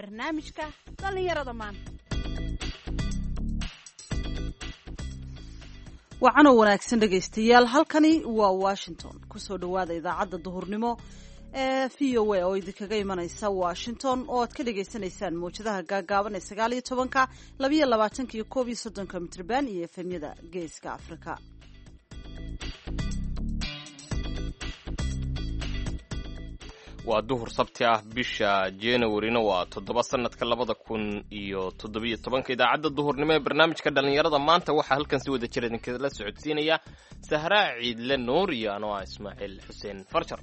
Barnaamijka dhallinyarada maanta. Wacanoo wanaagsan dhegaystayaal, halkani waa Washington. Kusoo dhowaada idaacadda duhurnimo ee VOA oo idinkaga imanaysa Washington, oo aad ka dhagaysanaysaan mawjadaha gaagaaban ee 19-ka, 22-ka iyo 31-ka mitrban iyo efemyada Geeska Afrika. Waa duhur Sabti ah, bisha Januarina waa 7, sanadka 2017. Idaacadda duhurnimo ee barnaamijka dhallinyarada maanta waxaa halkan si wada jir idinkala socodsiinaya Sahraa Ciidle Nuur iyo anoo ah Ismaaciil Xuseen Farjar.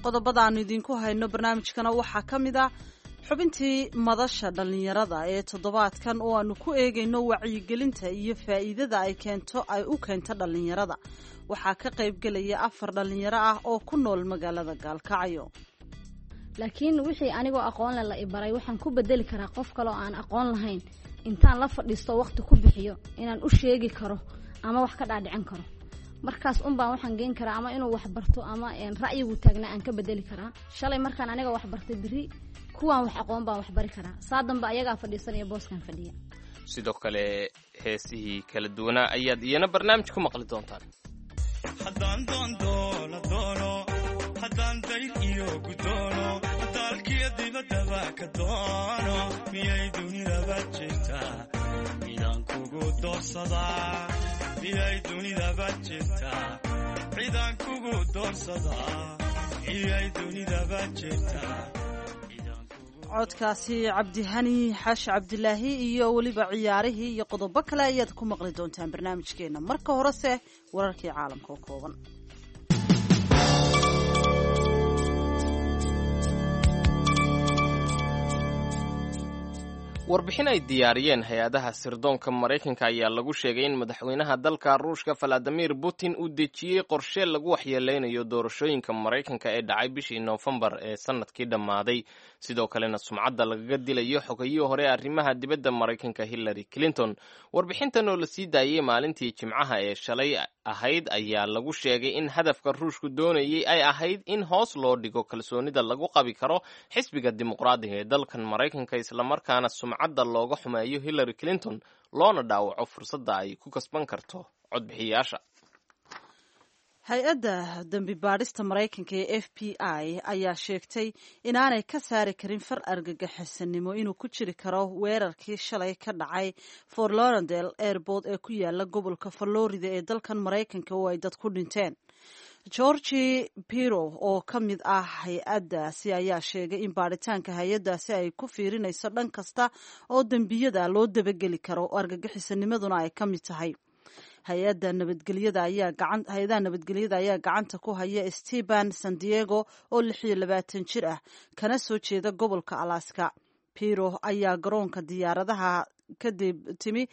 Qodobada aanu idinku hayno barnaamijkana waxaa ka mid ah xubintii madasha dhallinyarada ee toddobaadkan, oo aanu ku eegayno wacyigelinta iyo faa'iidada ay keento ay u keento dhallinyarada. Waxaa ka qaybgelaya afar dhallinyaro ah oo ku nool magaalada Gaalkacyo. Laakiin wixii anigoo aqoonle la ibaray waxaan ku bedeli karaa qof kale oo aan aqoon lahayn intaan la fadhiisto, waqti ku bixiyo, inaan u sheegi karo ama wax ka dhaadhicin karo. Markaas unbaan waxaan geen karaa ama inuu wax barto ama ra'yigu taagnaa aan ka bedeli karaa. Shalay markaan aniga wax bartay, beri kuwaan wax aqoon baan wax bari karaa. Saa dambe ayagaa fadhiisanaya booskan fadhiya. Sidoo kale heesihii kala duwanaa ayaad iyana barnaamij ku maqli doontaan. Haddaan doondoola doono, haddaan dayr iyo gudoono, daalkiyo dibaddaba ka doono, miyay dunidaba jirtaa cidaan kugu doorsadaa? Miyay dunidaba jirtaa cidaan kugu doorsadaa? Miyay dunidaba jirtaa? Codkaasi Cabdihani Xaashi Cabdilaahi iyo weliba ciyaarihii iyo qodobo kale ayaad ku maqli doontaan barnaamijkeena. Marka horese wararkii caalamka oo kooban. Warbixin ay diyaariyeen hay-adaha sirdoonka Maraykanka ayaa lagu sheegay in madaxweynaha dalka Ruushka Valadimir Putin uu dejiyey qorshe lagu waxyeeleynayo doorashooyinka Maraykanka ee dhacay bishii Noofembar ee sanadkii dhammaaday, sidoo kalena sumcadda lagaga dilayo xogayihii hore arrimaha dibadda Maraykanka Hillary Clinton. Warbixintan oo la sii daayey maalintii Jimcaha ee shalay ahayd ayaa lagu sheegay in hadafka Ruushku doonayey ay ahayd in hoos loo dhigo kalsoonida lagu qabi karo xisbiga Dimuqraadiga ee dalkan Maraykanka, islamarkaana sumcadda looga xumeeyo Hillary Clinton, loona dhaawaco fursadda ay ku kasban karto codbixiyaasha. Hay-adda dembi baadhista Maraykanka ee FBI ayaa sheegtay inaanay ka saari karin far argagixisanimo inuu ku jiri karo weerarkii shalay ka dhacay Fort Lauderdale Airport ee ku yaala gobolka Florida ee dalkan Maraykanka, oo ay dad ku dhinteen. Georgi Piro oo ka mid ah hay-addaasi ayaa sheegay in baadhitaanka hay-addaasi ay ku fiirinayso dhan kasta oo dembiyada loo dabageli karo, oo argagixisanimaduna ay ka mid tahay. Hay-ada nabadgelyada ayaa gacan hay-adaha nabadgelyada ayaa gacanta ku haya Stephen San Diego oo 26 jir ah, kana soo jeeda gobolka Alaska. Piro ayaa garoonka diyaaradaha kadib timi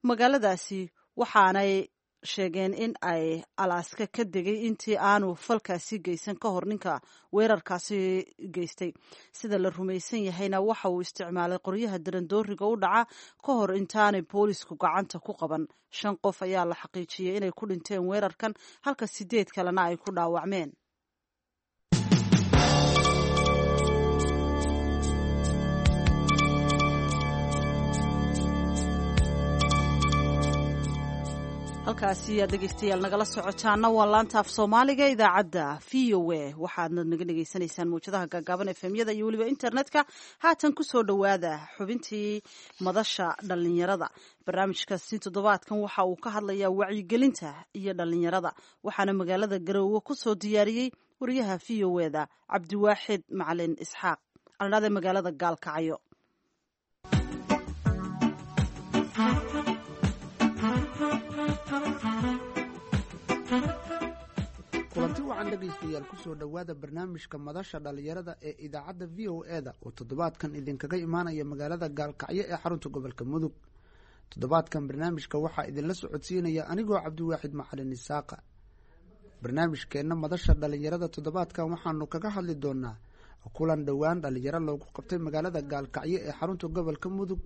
magaaladaasi, waxaanay sheegeen in ay Alaska ka degay intii aanu falkaasi geysan ka hor. Ninka weerarkaasi geystay, sida la rumaysan yahayna, waxa uu isticmaalay qoryaha darandooriga u dhaca ka hor intaanay boolisku gacanta ku qaban. Shan qof ayaa la xaqiijiyey inay ku dhinteen weerarkan, halka sideed kalena ay ku dhaawacmeen. Halkaasi aad dhegeystayaal nagala socotaana waa laanta af Soomaaliga idaacadda VOA. Waxaadna naga dhegeysanaysaan mawjadaha gaagaaban, efemyada iyo weliba internetka. Haatan kusoo dhowaada xubintii madasha dhallinyarada. Barnaamijkaasi toddobaadkan waxa uu ka hadlayaa wacyigelinta iyo dhallinyarada, waxaana magaalada Garoowe kusoo diyaariyey wariyaha VOA da Cabdiwaaxid Macalin Isxaaq aldhade magaalada Gaalkacyo. Kulanti wacan dhegaystayaal, kusoo dhowaada barnaamijka madasha dhallinyarada ee idaacadda VOA da oo toddobaadkan idinkaga imaanaya magaalada Gaalkacyo ee xarunta gobolka Mudug. Toddobaadkan barnaamijka waxaa idinla socodsiinaya anigoo Cabdiwaaxid Macalin Isaaqa. Barnaamijkeenna madasha dhallinyarada toddobaadkan waxaanu kaga hadli doonaa kulan dhowaan dhallinyaro loogu qabtay magaalada Gaalkacyo ee xarunta gobolka Mudug,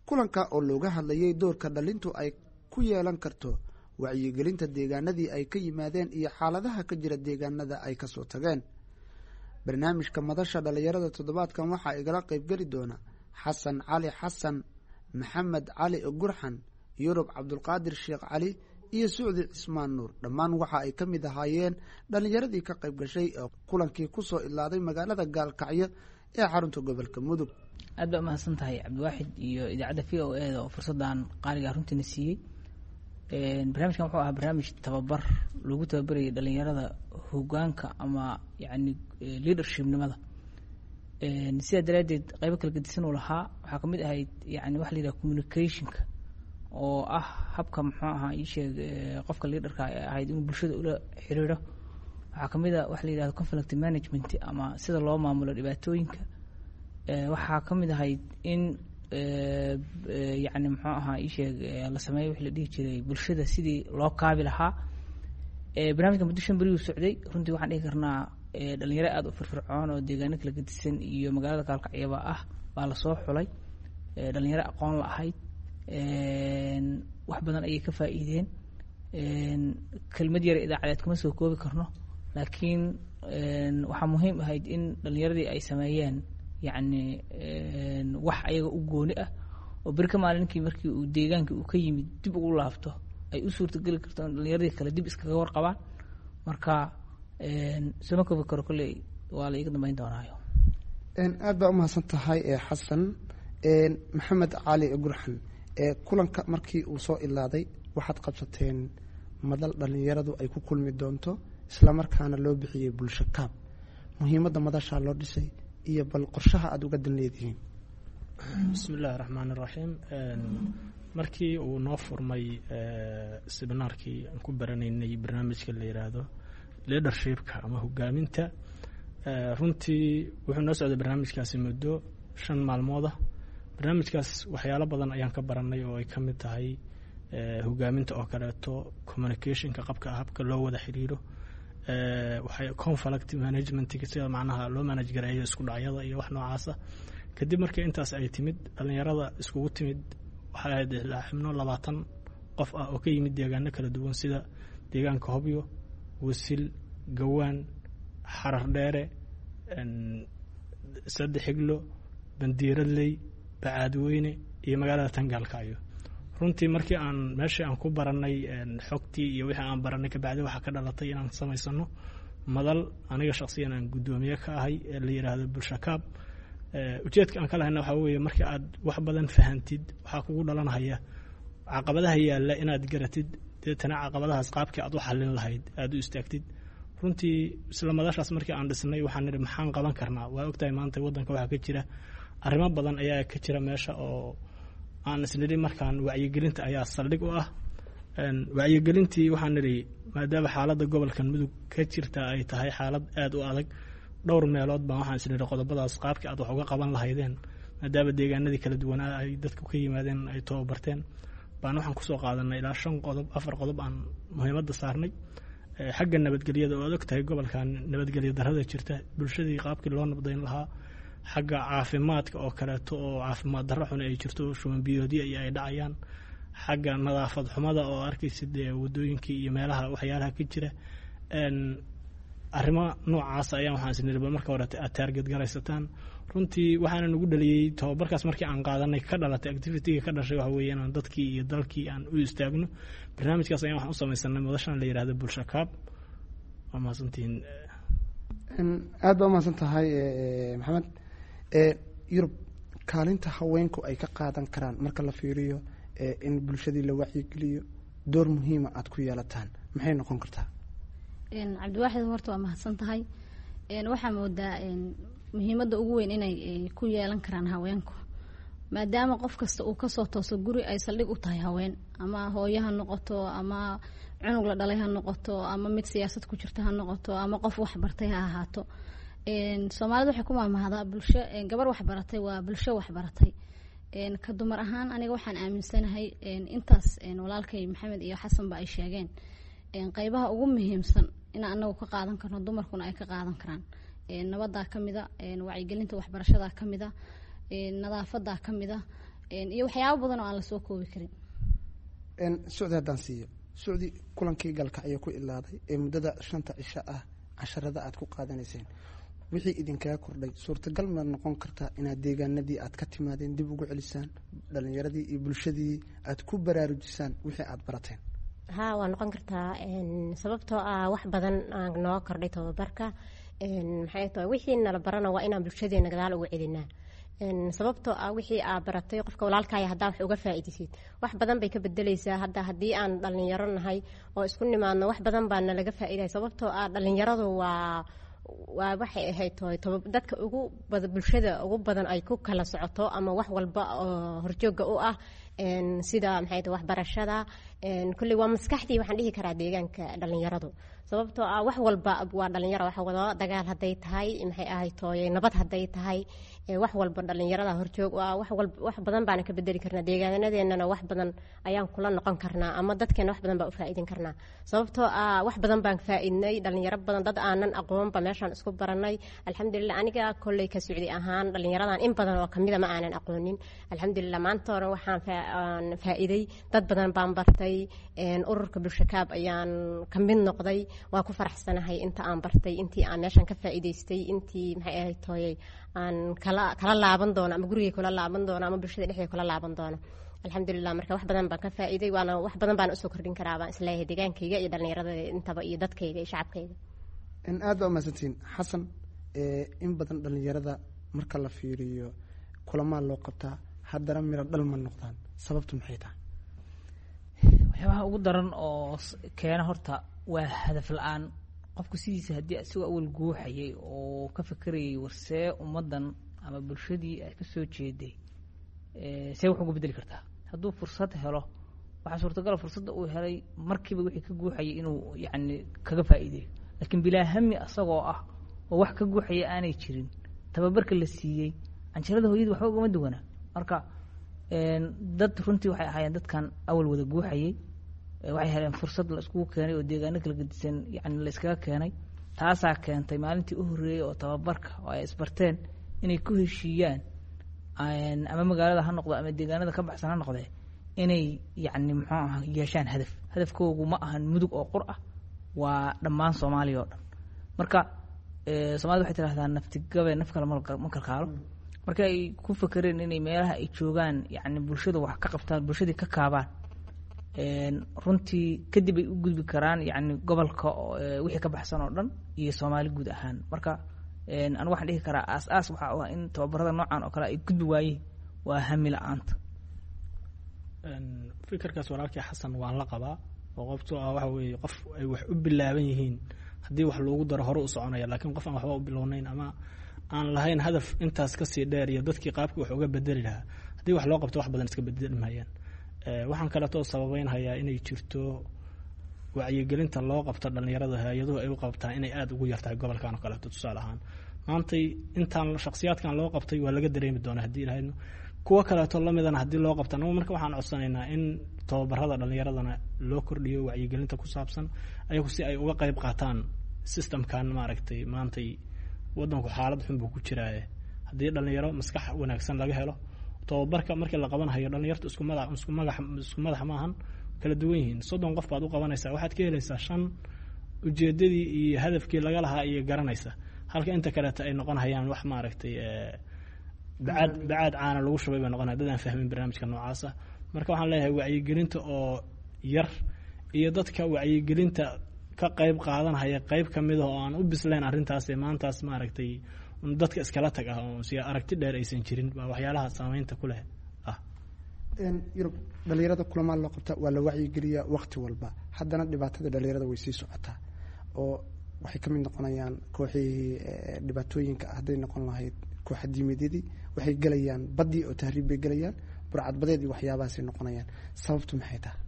kulanka oo looga hadlayay doorka dhalintu ay ku yeelan karto Wacyigelinta deegaanadii ay ka yimaadeen iyo xaaladaha ka jira deegaanada ay kasoo tageen. Barnaamijka madasha dhallinyarada toddobaadkan waxaa igala qaybgeli doona Xasan Cali Xasan, Maxamed Cali Gurxan, Yurub Cabdulqaadir Sheekh Cali iyo Sucdi Cismaan Nuur. Dhammaan waxa ay ka mid ahaayeen dhallinyaradii ka qayb gashay ee kulankii kusoo idlaaday magaalada Gaalkacyo ee xarunta gobolka Mudug. Aad baa umahadsan tahay Cabdiwaaxid iyo idaacadda VOA da oo fursaddan qaaliga runtiina siiyey. Barnaamijkan wuxuu ahaa barnaamij tababar lagu tababarayay dhalinyarada hogaanka ama yacni leadershipnimada. Sidaa daraaddeed qaybo kala gedisan uu lahaa. Waxaa kamid ahayd yani waxa la yidhaha communicationka, oo ah habka, muxuu ahaa, ii sheeg, qofka leaderka ee ahayd inuu bulshada ula xiriiro. Waxaa kamid a waxa la yidhahdo conflict management ama sida loo maamulo dhibaatooyinka. Waxaa kamid ahayd in yacni, muxuu ahaa, ii sheeg, la sameeyo wixii la dhihi jiray bulshada sidii loo kaabi lahaa. Barnaamijka muddo 5 beri uu socday. Runtii waxaan dhihi karnaa dhalinyaro aada u firfircoon oo deegaano kala gedisan iyo magaalada Gaalkacyaba ah baa lasoo xulay. Dhalinyaro aqoon la ahayd, wax badan ayay ka faa'iideen. Kelmad yar idaacadeed kuma soo koobi karno, laakiin waxaa muhiim ahayd in dhalinyaradii ay sameeyeen yacni wax ayaga u gooni ah oo beri ka maalinkii markii uu deegaankii uu ka yimid dib ugu laabto ay u suurtageli karto in dhalinyaradii kale dib iskaga warqabaan. Marka sooma koobi karo, kolley waa la iiga dambeyn doonaayo. Aad baa umahadsan tahay Xasan. Maxamed Cali Gurxan, kulanka markii uu soo ilaaday waxaad qabsateen madal dhalinyaradu ay ku kulmi doonto, islamarkaana loo bixiyey Bulsho Kaab. Muhiimadda madashaa loo dhisay iyo bal qorshaha aada uga dan leedihiin? Bismi illaahi raxmaan iraxiim. Markii uu noo furmay seminaarkii aan ku baranaynay barnaamijka la yiraahdo leadershipka ama hogaaminta, runtii wuxuu noo socday barnaamijkaasi muddo 5 maalmooda. Barnaamijkaas waxyaalo badan ayaan ka baranay oo ay ka mid tahay hogaaminta oo kaleeto, communicationka, qabka habka loo wada xiriiro, waxay conflict managementga, sida macnaha loo manage gareeyo isku dhacyada iyo wax noocaasa. Kadib markii intaas ay timid, dhalinyarada iskugu timid waxay ahayd ilaa xubno 20 qof ah oo ka yimid deegaano kala duwan, sida deegaanka Hobyo, Wasil, Gawaan, Xarar Dheere, Saddex Xiglo, Bandiiradley, Bacaadweyne iyo magaalada Tangaalkacyo. Runtii markii aan meeshii aan ku baranay xogtii iyo wixii aan baranay, kabacdi waxaa ka dhalatay inaan samaysano madal aniga shaqsiyan aan guddoomiye ka ahay ee la yidhaahdo Bulshakaab. Ujeedka aan ka lahayna waxaa weeye, markii aad wax badan fahantid waxaa kugu dhalanhaya caqabadaha yaalla inaad garatid, deetana caqabadahaas qaabkii aad u xallin lahayd aada u istaagtid. Runtii isla madashaas markii aan dhisnay waxaan nidhi, maxaan qaban karnaa? Waa ogtahay maanta waddanka waxaa ka jira, arrimo badan ayaa ka jira meesha oo aan isnidhi markaan wacyigelinta ayaa saldhig u ah. Wacyigelintii waxaan nidhi, maadaama xaaladda gobolkan Mudug ka jirta ay tahay xaalad aada u adag, dhowr meelood baan waxaan isnidhi qodobadaas qaabkii aad wax uga qaban lahaydeen, maadaama deegaanadii kala duwanaa ay dadku ka yimaadeen ay tababarteen, baan waxaan kusoo qaadanay ilaa shan qodob, afar qodob aan muhiimadda saarnay. Xagga nabadgelyada oo aad og tahay gobolkan nabadgelya darrada jirta, bulshadii qaabkii loo nabdayn lahaa. Xagga caafimaadka oo kaleeto oo caafimaad darro xun ay jirto, shuban biyoodya iyo ay dhacayaan. Xagga nadaafad xumada oo arkaysa dee wadooyinkii iyo meelaha waxyaalaha ka jira. Arrimo noocaas ayaan waxaan isniri bal marka hore aad target garaysataan. Runtii waxaana nagu dhaliyey tababarkaas markii aan qaadanay ka dhalatay activityga ka dhashay waxa weeye inaan dadkii iyo dalkii aan u istaagno. Barnaamijkaas ayaan waxaan u samaysanay madashan la yidhahdo Bulshakaab. Waa mahadsantihiin. Aad baa umahadsan tahay Maxamed. Yurub, kaalinta haweenku ay ka qaadan karaan marka la fiiriyo in bulshadii la wacyigeliyo, door muhiima aada ku yeelataan, maxay noqon kartaa? Cabdiwaaxid, horta waa mahadsan tahay. Waxaa moodaa muhiimadda ugu weyn inay ku yeelan karaan haweenku, maadaama qof kasta uu kasoo tooso guri ay saldhig u tahay haween, ama hooyo ha noqoto, ama cunug la dhalay ha noqoto, ama mid siyaasad ku jirta ha noqoto, ama qof waxbartay ha ahaato. Soomaalida waxay ku maahmaahdaa bulsho gabar waxbaratay waa bulsho waxbaratay. Ka dumar ahaan aniga waxaan aaminsanahay intaas walaalkay Maxamed iyo Xasanba ay sheegeen, qeybaha ugu muhiimsan in anagu ka qaadan karno, dumarkuna ay ka qaadan karaan, nabadaa kamida, wacyigelinta waxbarashadaa kamida, nadaafadaa kamida iyo waxyaabo badan oo aan lasoo koobi karin. Socdi haddaan siiyo Sucdi, kulankii Gaalkacyo ku ilaaday ee muddada 5ta cisho ah casharada aad ku qaadanayseen, wixii idinkaga kordhay suurtagal ma noqon kartaa inaad deegaanadii aad ka timaadeen dib ugu celisaan dhalinyaradii iyo bulshadii aad ku baraarujisaan wixii aad barateen? Haa, waa noqon kartaa, sababtoo ah wax badan aan nooga kordhay tababarka. Maxay tahay wixii nala barana waa inaan bulshadeena gadaal ugu celinaa, sababtoo ah wixii aa baratay qofka walaalkaya haddaa wax uga faa'iidaysid, wax badan bay ka bedeleysaa. Hadda haddii aan dhalinyaro nahay oo isku nimaadno, wax badan baa nalaga faa'iidaya, sababtoo ah dhalinyaradu waa waxay ahayd toy dadka ugu bada bulshada ugu badan ay ku kala socoto ama wax walba oo horjooga u ah, sida maxay tahay waxbarashada. Kulley waa maskaxdii waxaan dhihi karaa deegaanka dhalinyaradu, sababtoo ah wax walba waa dhalinyaro waxa wada dagaal hadday tahay, maxay ahayd tooye, nabad hadday tahay, wax walba dhalinyarada horjoog u ah. Wax walba wax badan baana ka bedeli karnaa deegaanadeennana, wax badan ayaan kula noqon karnaa ama dadkeena wax badan baa u faa'iidin karnaa, sababtoo ah wax badan baan faa'iidnay. Dhalinyaro badan, dad aanan aqoonba meeshaan isku baranay, alxamdulilah. Aniga kolley ka Socdi ahaan dhalinyaradan in badan oo kamida ma aanan aqoonin. Alxamdulilah, maanta hore waxaan faa'iiday, dad badan baan bartay. Ururka Bulshakaab ayaan ka mid noqday. Waa ku faraxsanahay inta aan bartay, intii aan meeshan ka faa'iidaystay, intii maxay ahayd tooyay aan kala laaban doono ama gurigay kula laaban doono ama bulshada dhexdeeda kula laaban doono, alxamdulilah. Marka wax badan baan ka faa'iiday, waana wax badan baan usoo kordhin karaa baan isleeyahay deegaankayga iyo dhalinyarada intaba iyo dadkayga iyo shacabkayga. Aad baa umahadsantihiin. Xasan, in badan dhalinyarada marka la fiiriyo kulamaa loo qabtaa, haddana miro dhal ma noqdaan. Sababtu maxay tahay? Waxyaabaha ugu daran oo keena horta waa hadaf la-aan. Qofku sidiisa haddii isagoo awal guuxayay oo ka fekerayay warsee ummaddan ama bulshadii ay ka soo jeeday see wax uga bedeli kartaa, hadduu fursad helo, waxaa suurtagala fursadda uu helay markiiba wixii ka guuxayay inuu yacni kaga faa'iideeyo. Laakiin bilaa hami asagoo ah oo wax ka guuxaya aanay jirin, tababarka la siiyey canjarada hooyadii waxba ugama duwana. Marka dad runtii waxay ahaayeen dadkan awal wada guuxayay, waxay heleen fursad la iskugu keenay oo deegaano kala gedisan yani la iskaga keenay. Taasaa keentay maalintii u horreeyey oo tababarka oo ay isbarteen inay ku heshiiyaan, ama magaalada ha noqdo ama deegaanada ka baxsan ha noqdee, inay yacni muxuu aha yeeshaan hadaf. Hadafkoogu ma ahan Mudug oo qur ah, waa dhammaan Soomaaliya oo dhan. Marka Soomaalida waxay tidhahdaa naftigabe naf kale ma kalkaalo. Marka ay ku fekereen inay meelaha ay joogaan yacni bulshada wax ka qabtaan, bulshadii ka kaabaan, runtii kadib ay u gudbi karaan yacni gobolka wixii ka baxsan oo dhan iyo Soomaali guud ahaan. Marka anigu waxaan dhihi karaa aas-aas waxaa u ah in tababarada noocan oo kale ay gudbi waayeen waa hami la-aanta. Fikirkaas walaalkii Xasan waan la qabaa, oo qofto ah waxa weeye qof ay wax u bilaaban yihiin haddii wax loogu daro hore u soconaya, laakiin qof aan waxba u bilownayn ama aan lahayn hadaf intaas kasii dheer iyo dadkii qaabkii wax uga bedeli lahaa, haddii wax loo qabto wax badan iska bedeli maayaan. Waxaan kaleetoo sababeynhayaa inay jirto wacyigelinta loo qabto dhalinyarada, hay-aduhu ay u qabtaan inay aada ugu yartahay gobolkan oo kaleeto. Tusaale ahaan, maantay intaan shakhsiyaadkan loo qabtay waa laga dareemi doonaa haddii ilahaydno kuwo kaleeto lamidana haddii loo qabta. Anagu marka waxaan codsanaynaa in tababarada dhalinyaradana loo kordhiyo wacyigelinta ku saabsan ayagu si ay uga qayb qaataan systemkan. Maaragtay, maantay wadanku xaalad xun buu ku jiraaye, haddii dhalinyaro maskax wanaagsan laga helo tababarka markii la qabanhayo, dhalinyartu isku madax isku magax isku madax maahan, kala duwan yihiin. 30 qof baad u qabanaysaa, waxaad ka helaysaa shan ujeedadii iyo hadafkii laga lahaa iyo garanaysa, halka inta kaleeta ay noqon hayaan wax maaragtay bacaad bacaad caana lagu shubay bay noqonaya, dad aan fahmin barnaamijka noocaasa. Marka waxaan leeyahay wacyigelinta oo yar iyo dadka wacyigelinta ka qayb qaadanhaya qayb ka mid ah oo aan u bislayn arrintaas ee maantaas maaragtay dadka iskala tag ah oo si aragti dheer aysan jirin baa waxyaalaha saameynta ku leh ah. Yurub dhalinyarada kulamaa loo qabta, waa la wacyigeliyaa waqti walba, haddana dhibaatada dhalinyarada way sii socotaa oo waxay ka mid noqonayaan kooxihii dhibaatooyinka hadday noqon lahayd kooxa diimeedyadii, waxay gelayaan baddii oo tahriib bay gelayaan, burcadbadeed iyo waxyaabahaasay noqonayaan. Sababtu maxay tahay?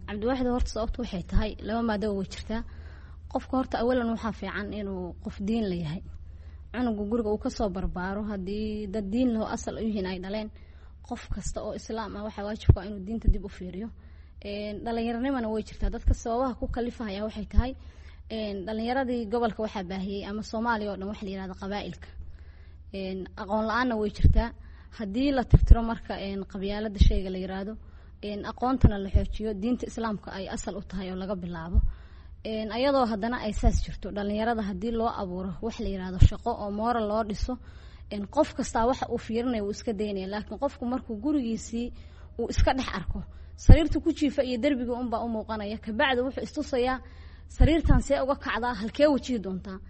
Cabdiwaaxid, horta sababtu waxay tahay laba maadaba way jirtaa. Qofka horta awalan waxaa fiican inuu qof diin la yahay, cunuga guriga uu kasoo barbaaro haddii dad diin laho asal u yihiin ay dhaleen. Qof kasta oo islaam ah waxaa waajibka inuu diinta dib u fiiriyo. Dhalinyaronimana way jirtaa. Dadka sababaha ku kalifahaya waxay tahay dhalinyaradii gobolka waxaa baahiyey ama Soomaaliya oo dhan waxa la yihahda qabaa'ilka, aqoon la-aanna way jirtaa. Haddii la tirtiro marka qabyaalada shayga la yiraahdo Aqoontana la xoojiyo, diinta islaamka ay asal u tahay oo laga bilaabo. Ayadoo haddana ay saas jirto, dhalinyarada haddii loo abuuro wax la yirahdo shaqo oo moral loo dhiso, qof kastaa waxa uu fiirinaya wuu iska daynaya. Laakiin qofku markuu gurigiisii uu iska dhex arko, sariirta ku jiifa iyo derbiga unbaa u muuqanaya. Kabacdi wuxuu istusayaa sariirtan see uga kacdaa, halkee wajihi doontaa.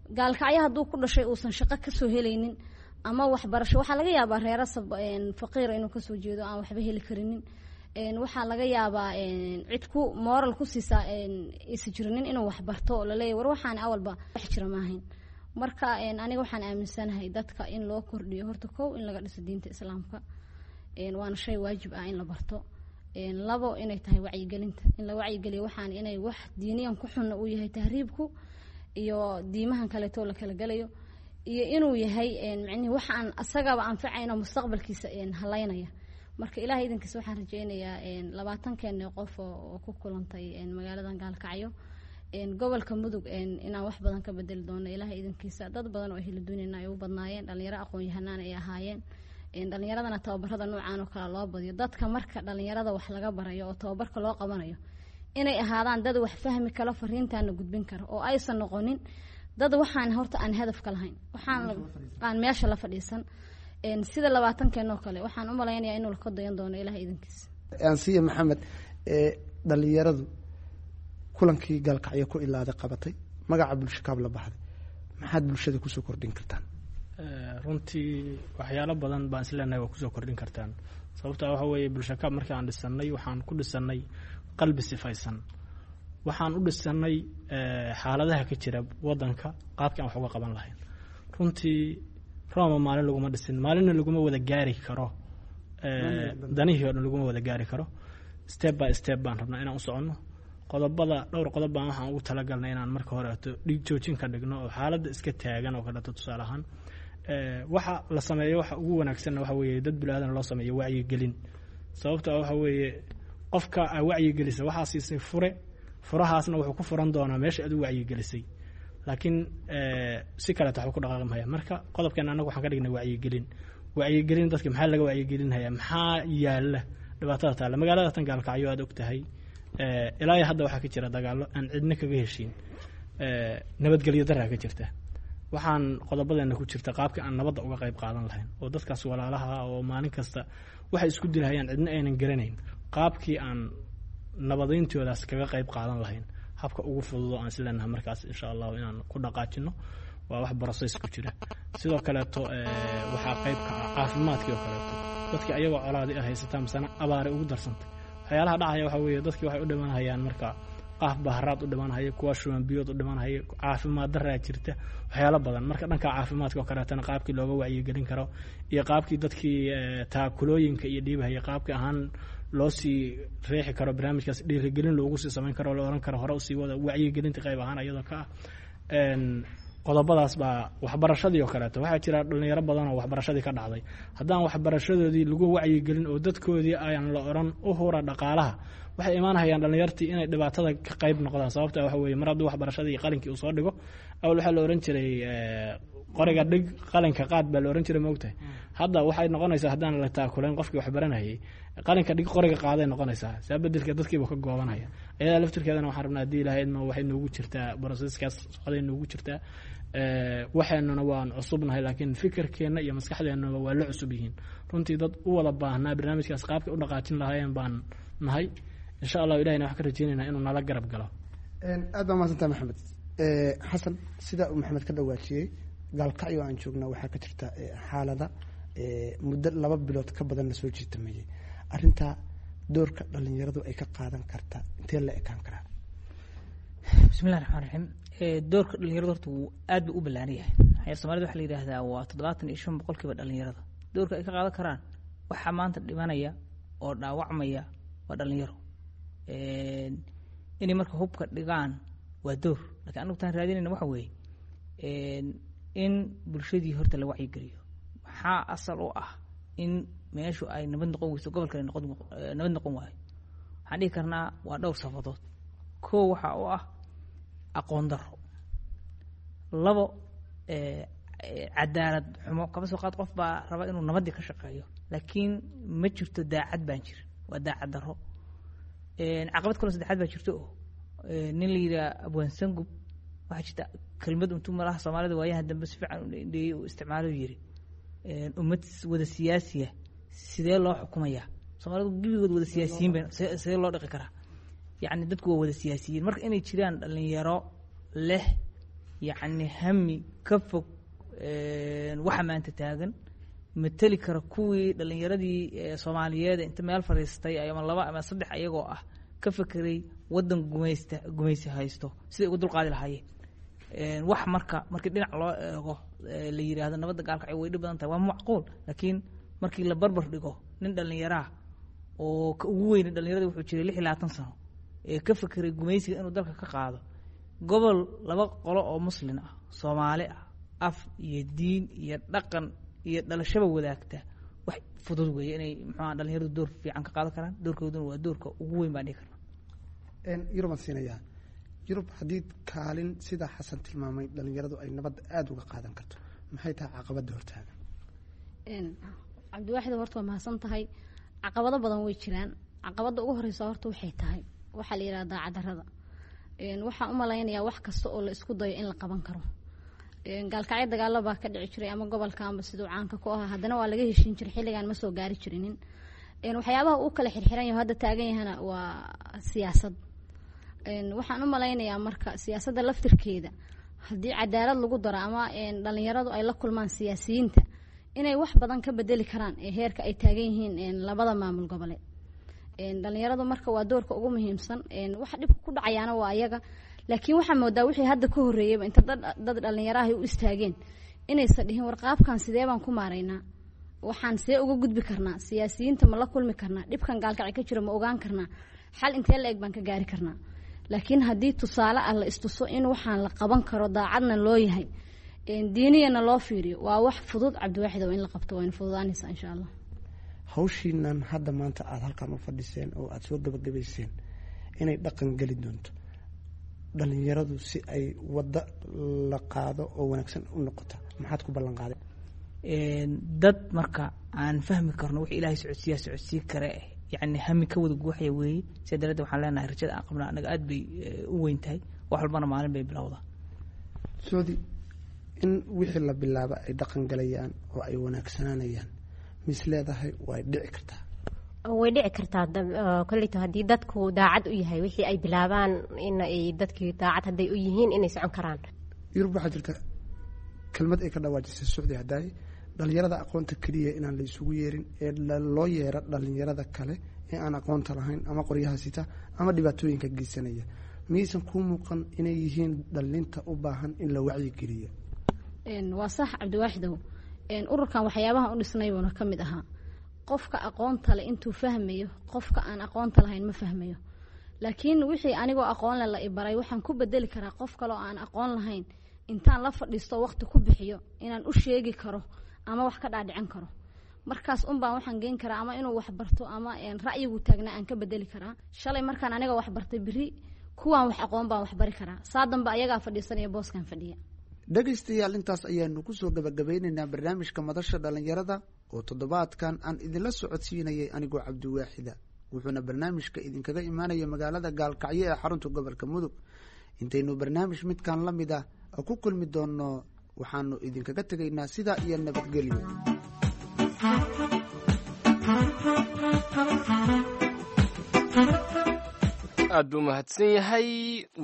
Gaalkacyo hadduu ku dhashay uusan shaqo kasoo helaynin ama waxbarasho, waxaa laga yaabaa reero faqiira inuu kasoo jeedo, aan waxba heli karinin. Waxaa laga yaabaa cid ku moral ku siisaa isa jirinin inuu waxbarto oo laleeyahy war waxaan awalba wax jira maahayn. Marka aniga waxaan aaminsanahay dadka in loo kordhiyo horta kow in laga dhiso diinta islaamka, waana shay waajib ah in la barto. Labo, inay tahay wacyigelinta, in la wacyigeliyo waxaan inay wax diiniyan ku xunna uu yahay tahriibku iyo diimahan kaleeto la kala gelayo, iyo inuu yahay micnihi wax aan asagaba anfacayno, mustaqbalkiisa halaynaya. Marka ilahay idinkiisa waxaan rajeynayaa 20keeni qof oo ku kulantay magaaladan Gaalkacyo, gobolka Mudug, inaan wax badan ka bedeli doono ilahay idinkiisa. Dad badan oo ehlu dunina ay u badnaayeen, dhalinyaro aqoon-yahanaan ay ahaayeen. Dhalinyaradana tababarada noocaan oo kale loo badiyo. Dadka marka dhalinyarada wax laga barayo oo tababarka loo qabanayo, inay ahaadaan dad wax fahmi karo, fariintaana gudbin karo, oo aysan noqonin dad waxaan horta aan hadaf ka lahayn, waxaan aan meesha la fadhiisan. Sida 20keen oo kale, waxaan u malaynayaa inuu ka dayan doono ilahay idinkiisa. Ansiya Maxamed, dhalinyaradu kulankii Gaalkacyo ku ilaaday qabatay, magaca Bulshakaab la baxday, maxaad bulshada kusoo kordhin kartaan? Runtii waxyaalo badan baan isleenahay waa kusoo kordhin kartaan. Sababta waxa weeye, Bulshakaab markii aan dhisanay, waxaan ku dhisanay qalbi sifaysan, waxaan u dhisanay xaaladaha ka jira wadanka qaabkii aan wax uga qaban lahayn. Runtii Roma maalin laguma dhisin, maalinna laguma wada gaari karo, danihii o dhan laguma wada gaari karo. Step by step baan rabnaa inaan u soconno. Qodobada, dhowr qodob baan waxaan ugu talagalnay inaan marka horeeto dhig joojin ka dhigno oo xaaladda iska taagan oo kaleeto. Tusaale ahaan, waxa la sameeyo waxa ugu wanaagsanna waxa weeye dad bini-aadan loo sameeyo wacyigelin. Sababta waxa weeye, qofka aa wacyigelisa waxaa siisay fure, furahaasna wuxuu ku furan doonaa meesha aad u wacyigelisay, laakiin si kaleeto waxba ku dhaqaaqi maya. Marka qodobkeena annaga waxaan ka dhignay wacyigelin. Wacyigelin dadka maxaa laga wacyigelinhayaa? Maxaa yaala dhibaatada taalla magaalada tan Gaalkacyo? Aad og tahay, ilaa iyo hadda waxaa ka jira dagaallo aan cidna kaga heshiin, nabadgelyo daraa ka jirta. Waxaan qodobadeena ku jirta qaabka aan nabadda uga qayb qaadan lahayn oo dadkaas walaalaha oo maalin kasta waxay isku dilhayaan cidna aynan garanayn, qaabkii aan nabadayntoodaas kaga qayb qaadan lahayn. Habka ugu fududo aan isleenahay markaas insha Allahu inaan ku dhaqaajino waa wax process ku jira. Sidoo kaleeto waxaa qayb ka ah caafimaadkii oo kaleeto. Dadkii ayagoo colaadi ah haysataa, misana abaaray ugu darsantay. Waxyaalaha dhacaya waxa weeye, dadkii waxay u dhimanhayaan marka qaaf baharaad u dhimanhaya, kuwa shuban biyood u dhimanhaya, caafimaad daraa jirta, waxyaalo badan. Marka dhanka caafimaadka oo kaleetana qaabkii looga wacyigelin karo iyo qaabkii dadkii taakulooyinka iyo dhiibahaya qaabkii ahaan loo sii reexi karo, barnaamijkaas dhiirigelin loogu sii samayn karo, la oran karo hore usii wada, wacyigelinta qayb ahaan iyadoo ka ah. Qodobadaas baa waxbarashadii oo kaleeto. Waxaa jira dhalinyaro badan oo waxbarashadii ka dhacday. Haddaan waxbarashadoodii lagu wacyigelin oo dadkoodii ayaan la oran u hura dhaqaalaha, waxay imaanhayaan dhalinyartii inay dhibaatada ka qayb noqdaan. Sababta waxa weeye, mar hadduu waxbarashadii qalinkii uu soo dhigo, awal waxaa la oran jiray qoriga dhig, qalinka qaad baa la oran jiray, maogtahay? Hadda waxay noqonaysaa haddaan la taakulayn qofkii waxbaranayay, qalinka dhig, qoriga qaaday noqonaysaa. Saa bedelka dadkiiba ka goobanaya. Ayadaa laftirkeedana waxaan rabnaa haddii Ilahay idmo waxay noogu jirtaa processkaas socday noogu jirtaa. Waxeenuna waan cusubnahay, laakiin fikirkeenna iyo maskaxdeennaba waa la cusub yihiin. Runtii dad u wada baahnaa barnaamijkaas qaabkay u dhaqaajin lahaayeen baan nahay. Insha Allahu Ilahina waxaan ka rajeynayna inuu nala garab galo. Aad baa mahadsantaha, Maxamed Xasan. Sida uu Maxamed ka dhawaajiyey, Gaalkacyo aan joognaa waxaa ka jirta xaalada muddo 2 bilood ka badan la soo jiitamayay. Arrintaa doorka dhalinyaradu ay ka qaadan kartaa intee la ekaan karaa? Bismillahi raxmaan raxiim. Doorka dhalinyaradu horta wuu aad buu u ballaaran yahay. Maxaa Soomaalida waxaa la yidhaahdaa waa 75% dhalinyarada. Doorka ay ka qaadan karaan, waxaa maanta dhimanaya oo dhaawacmaya waa dhalinyaro. Inay marka hubka dhigaan waa door, lakiin anagu taan raadinayna waxa weeye in bulshadii horta la wacyigeliyo. Maxaa asal u ah in meeshu ay nabad noqon weyso, gobolka ay noqon nabad noqon waayo? Waxaan dhihi karnaa waa dhowr sabadood. Koo, waxaa u ah aqoon daro. Labo, cadaalad xumo. Kaba soo qaad qof baa raba inuu nabaddii ka shaqeeyo, laakiin ma jirto daacad baan jirin. Waa daacad darro. Caqabad kaloo saddexaad baa jirto oo nin la yidhaha Abwaan Sangub, waxaa jirta kelmad intuu malaha Soomaalida waayahan dambe si fiican u dheeyey uu isticmaalo, yiri ummad wada siyaasiya sidee loo xukumayaa? Soomaalidu gebigood wada siyaasiyiin bay, sidee loo dhaqi karaa? Yacni dadku waa wada siyaasiyiin. Marka inay jiraan dhalinyaro leh yacni hami ka fog waxa maanta taagan, mateli kara kuwii dhalinyaradii Soomaaliyeed inta meel fadhiistay ama laba ama saddex ayagoo ah ka fekeray waddan gumaysta, gumaysi haysto, siday uga dulqaadi lahaayeen wax. Marka markii dhinac loo eego la yidhaahdo nabadda Gaalkacyo way dhib badan tahay, waa macquul, laakiin markii la barbar dhigo nin dhallinyaraah oo ka ugu weyna dhallinyarada wuxuu jiray 26 sano ee ka fekeray gumaysiga inuu dalka ka qaado, gobol laba qolo oo muslin ah, Soomaali ah, af iyo diin iyo dhaqan iyo dhalashaba wadaagta, wax fudud weeye inay muxuaha dhalinyaradu door fiican ka qaadan karaan. Doorkooduna waa doorka ugu weyn baan dhihi karnaa. Yurubaan siinayaa. Yurub, haddii kaalin sida Xasan tilmaamay dhalinyaradu ay nabadda aada uga qaadan karto, maxay tahay caqabadda hortaagan? Cabdiwaaxid, horta waa mahadsan tahay. Caqabado badan way jiraan. Caqabadda ugu horeysa horta waxay tahay waxaa la yidhaha daacadarada. Waxaan u malaynayaa wax kasta oo la isku dayo in la qaban karo. Gaalkacyo dagaalo baa ka dhici jiray ama gobolka amba siduu caanka ku ahaa, haddana waa laga heshiin jiray, xilligan ma soo gaari jirinin. Waxyaabaha uu kala xirxiran yaho hadda taagan yahana waa siyaasad. Waxaan u malaynayaa marka siyaasadda laftirkeeda haddii cadaalad lagu daro ama dhalinyaradu ay la kulmaan siyaasiyiinta, inay wax badan ka bedeli karaan ee heerka ay taagan yihiin labada maamul goboleed. Dhalinyaradu marka waa doorka ugu muhiimsan. Waxa dhibka ku dhacayaana waa ayaga, laakiin waxaa moodaa wixii hadda ka horreeyeyba inta dad dhalinyarahay u istaageen inaysan dhihin warqaabkan sidee baan ku maaraynaa, waxaan see uga gudbi karnaa, siyaasiyiinta ma la kulmi karnaa, dhibkan Gaalkacyo ka jiro ma ogaan karnaa, xal intee la eg baan ka gaari karnaa. Laakiin haddii tusaale ah la istuso in waxaan la qaban karo, daacadna loo yahay, diiniyana loo fiiriyo, waa wax fudud, Cabdiwaaxid, oo in la qabto wayna fududaanaysaa insha Allah. Hawshiinan hadda maanta aada halkan u fadhiseen oo aada soo gabagabayseen inay dhaqan geli doonto dhalinyaradu si ay waddo la qaado oo wanaagsan u noqota, maxaad ku ballan qaaday? Dad marka aan fahmi karno wix Ilaahay socodsiiyaa socodsii kare, yacni hami ka wada guuxaya weeye. Sidaa daraaddeed waxaan leenahay rajada aan qabnaa annaga aad bay u weyn tahay. Wax walbana maalin bay bilowdaa. Soodi in wixii la bilaaba ay dhaqan galayaan oo ay wanaagsanaanayaan, mis leedahay way dhici kartaa? Way dhici kartaa kolleyto haddii dadku daacad u yahay wixii ay bilaabaan, in ay dadkii daacad hadday u yihiin inay socon karaan. Yurub, waxaa jirta kelmad ay ka dhawaajisay Socdi hadaaye, dhalinyarada aqoonta keliya inaan la isugu yeerin ee loo yeero dhalinyarada kale ee aan aqoonta lahayn ama qoryaha sita ama dhibaatooyinka geysanaya. Miyaysan kuu muuqan inay yihiin dhalinta u baahan in la wacyigeliyo? Waa sax, Cabdiwaaxidow. Ururkan waxyaabaha u dhisnay buuna ka mid ahaa qofka aqoonta le intuu fahmayo, qofka aan aqoonta lahayn ma fahmayo. Laakiin wixii anigoo aqoonle la ibaray waxaan ku bedeli karaa qof kale oo aan aqoon lahayn intaan la fadhiisto waqti ku bixiyo inaan u sheegi karo ama wax ka dhaadhicin karo. Markaas unbaan waxaan geen karaa ama inuu wax barto ama ra'yigu taagnaa aan ka bedeli karaa. Shalay markaan aniga wax bartay, beri kuwaan wax aqoon baan wax bari karaa, saa dambe ayagaa fadhiisanaya booskan fadhiya. Dhegaystayaal, intaas ayaanu kusoo gabagabeynaynaa barnaamijka madasha dhalinyarada oo toddobaadkan aan idinla socodsiinayay anigoo Cabdiwaaxida, wuxuuna barnaamijka idinkaga imaanaya magaalada Gaalkacyo ee xarunta gobolka Mudug. Intaynu barnaamij midkan la mid ah ku kulmi doonno, waxaanu idinkaga tegaynaa sidaa iyo nabadgelyo. Aad buu mahadsan yahay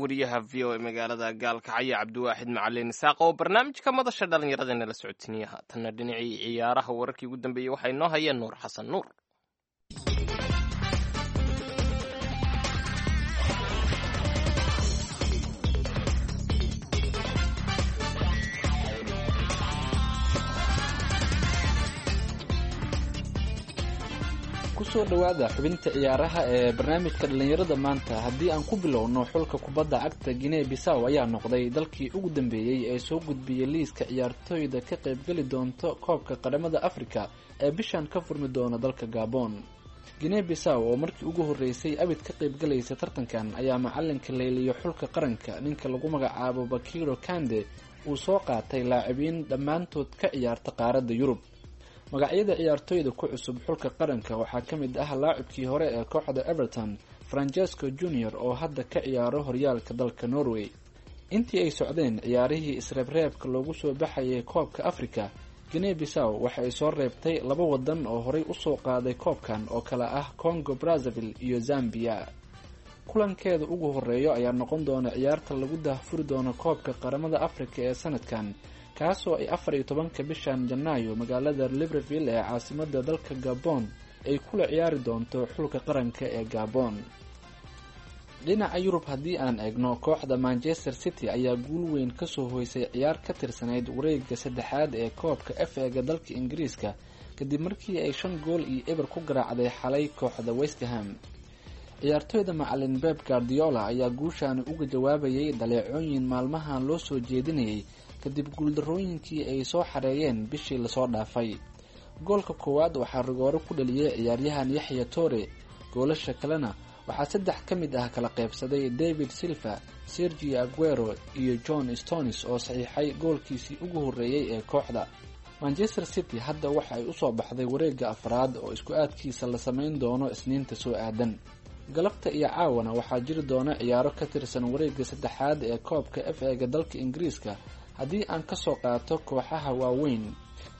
wariyaha v o e magaalada Gaalkacyo, Cabdiwaaxid Macalin Isaaq, oo barnaamijka madasha dhallinyarada nala socodsiinaya. Haatanna dhinacii ciyaaraha, wararkii ugu dambeeyey waxaa inoo hayeen Nuur Xasan Nuur. Kusoo dhowaada xubinta ciyaaraha ee barnaamijka dhallinyarada maanta. Haddii aan ku bilowno, xulka kubadda cagta Guinea Bisaw ayaa noqday dalkii ugu dambeeyey ee soo gudbiyey liiska ciyaartooyda ka qaybgeli doonta koobka qaramada Africa ee bishan ka furmi doona dalka Gabon. Guinea Bisaw oo markii ugu horreysay abid ka qaybgalaysa tartankan ayaa macalinka layliyo xulka qaranka, ninka lagu magacaabo Bakiro Kande, uu soo qaatay laacibiin dhammaantood ka ciyaarta qaaradda Yurub. Magacyada ciyaartooyda ku cusub xulka qaranka waxaa ka mid ah laacibkii hore ee kooxda Everton, Francesco Junior, oo hadda ka ciyaaro horyaalka dalka Norway. Intii ay socdeen ciyaarihii isreebreebka loogu soo baxayay koobka Afrika, Guinea Bissau waxa ay soo reebtay laba wadan oo horey usoo qaaday koobkan oo kale ah Congo Brazzaville iyo Zambia. Kulankeeda ugu horeeyo ayaa noqon doona ciyaarta lagu daahfuri doono koobka qaramada Afrika ee sanadkan, kaasoo ay 14-ka bishan Janaayo magaalada Libreville ee caasimada dalka Gabon ay kula ciyaari doonto xulka qaranka ee Gabon. Dhinaca Yurub haddii aan eegno, kooxda Manchester City ayaa guul weyn kasoo hoysay ciyaar ka tirsanayd wareega saddexaad ee koobka FA-ga dalka Ingiriiska, kadib markii ay 5-0 ku garaacday xalay kooxda Westham. Ciyaartooyda macalin Beb Guardiola ayaa guushaani uga jawaabayay dhaleecooyin maalmahan loo soo jeedinayay kadib guuldarooyinkii ay soo xareeyeen bishii lasoo dhaafay. Goolka koowaad waxaa rigooro ku dhaliyay ciyaaryahan Yaxya Tore. Goolasha kalena waxaa saddex ka mid ah kala qaybsaday David Silva, Sergio Aguero iyo John Stones oo saxiixay goolkiisii ugu horreeyey ee kooxda. Manchester City hadda waxa ay usoo baxday wareegga afraad oo isku aadkiisa la samayn doono Isniinta soo aadan. Galabta iyo caawana waxaa jiri doona ciyaaro ka tirsan wareegga saddexaad ee koobka FA-ga dalka Ingiriiska. Haddii aan kasoo qaato kooxaha waaweyn,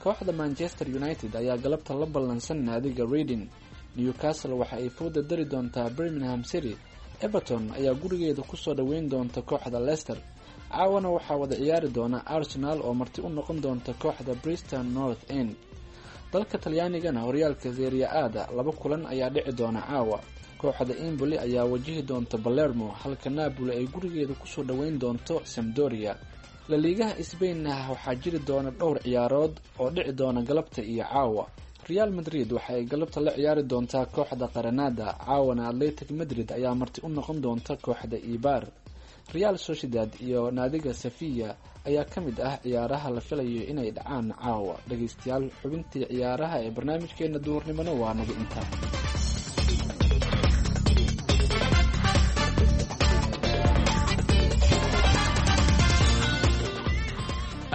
kooxda Manchester United ayaa galabta la ballansan naadiga Reading. Newcastle waxa ay fooda dari doontaa Birmingham City. Everton ayaa gurigeeda kusoo dhoweyn doonta kooxda Leicester. Caawana waxaa wada ciyaari doona Arsenal oo marti u noqon doonta kooxda Briston North End. Dalka Talyaanigana horyaalka Serie A-da laba kulan ayaa dhici doona caawa. Kooxda Empoli ayaa wajihi doonta Palermo, halka Napoli ay gurigeeda kusoo dhoweyn doonto Sampdoria. Laliigaha Sbainna waxaa jiri doona dhowr ciyaarood oo dhici doona galabta iyo caawa. Real Madrid waxa ay galabta la ciyaari doontaa kooxda Qaranada. Caawana Atletic Madrid ayaa marti u noqon doonta kooxda Ibar. Real Sociedad iyo naadiga Sevilla ayaa ka mid ah ciyaaraha la filayo inay dhacaan caawa. Dhageystayaal, xubintii ciyaaraha ee barnaamijkeena duhurnimona waa naga intaa.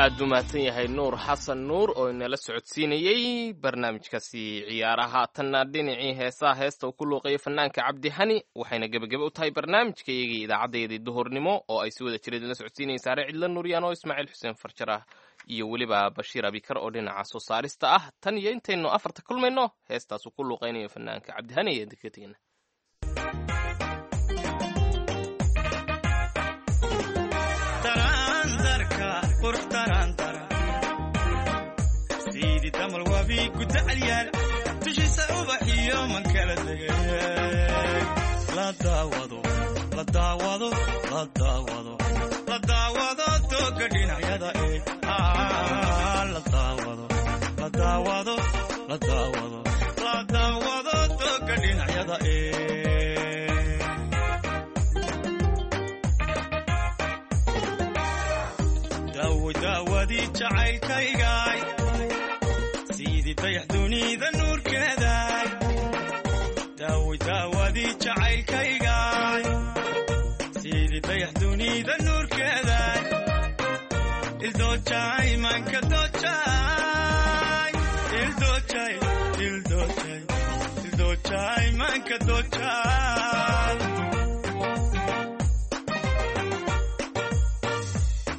Aad buu mahadsan yahay Nuur Xasan Nuur oo inala socodsiinayey barnaamijkaasi ciyaaraha. Tanna dhinacii heesaha, heesta uu ku luuqeeyay fanaanka Cabdi Hani, waxayna gebagebe u tahay barnaamijka iyagii idaacaddayadii duhurnimo oo ay si wada jireed inala socodsiinayeen Saare Cidla Nuuriyaan oo Ismaaciil Xuseen Farjar ah iyo weliba Bashiir Abikar oo dhinaca soo saarista ah. Tan iyo intaynu afarta kulmayno, heestaas uu ku luuqeynayo fanaanka Cabdi Hani ayaan kaga tegeyna. Siidi damal wabi gudacalyaal dushiisa ubaxiyo man kala tegay. La daawado, la daawado, la daawado, la daawado tooga dhinacyada ee la daawado, la daawado, la daawado, la daawado tooga dhinacyada ee. Daawadii jacaylkaygaay, sidii dayax dunida nuurkeedaay. Daawo daawadii jacaylkaygaay, sidii dayax dunida nuurkeedaay. Ildoojay manka doojaay, ildoojay, ildoojay, ildoojay manka doojaay.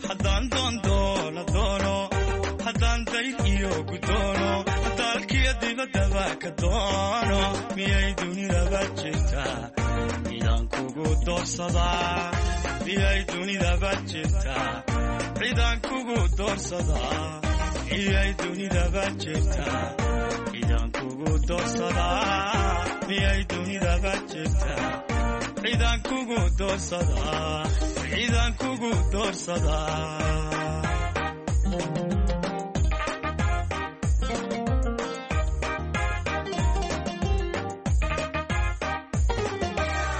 Haddaan doondoola doono, haddaan dayr iyo gudoono, dalkiyo dibaddaba ka doono, miyay dunidaba jirtaa cidaan kugu doorsadaa? Miyay dunidaba jirtaa cidaan kugu doorsadaa? Miyay dunidaba jirtaa cidaan kugu doorsadaa? Miyay dunidaba jirtaa cidaan kugu doorsadaa? Cidaan kugu doorsadaa?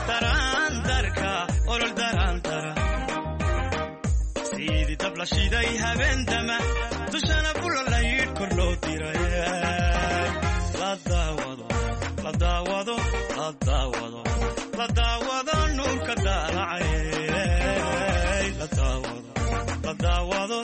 Daraandarka olol daraandara, sidii dab la shiday habeendama, dushana bulolayidh kor loo diray. La daawado, la daawado, la daawado, la daawado nuurka daalacay. La daawado, la daawado,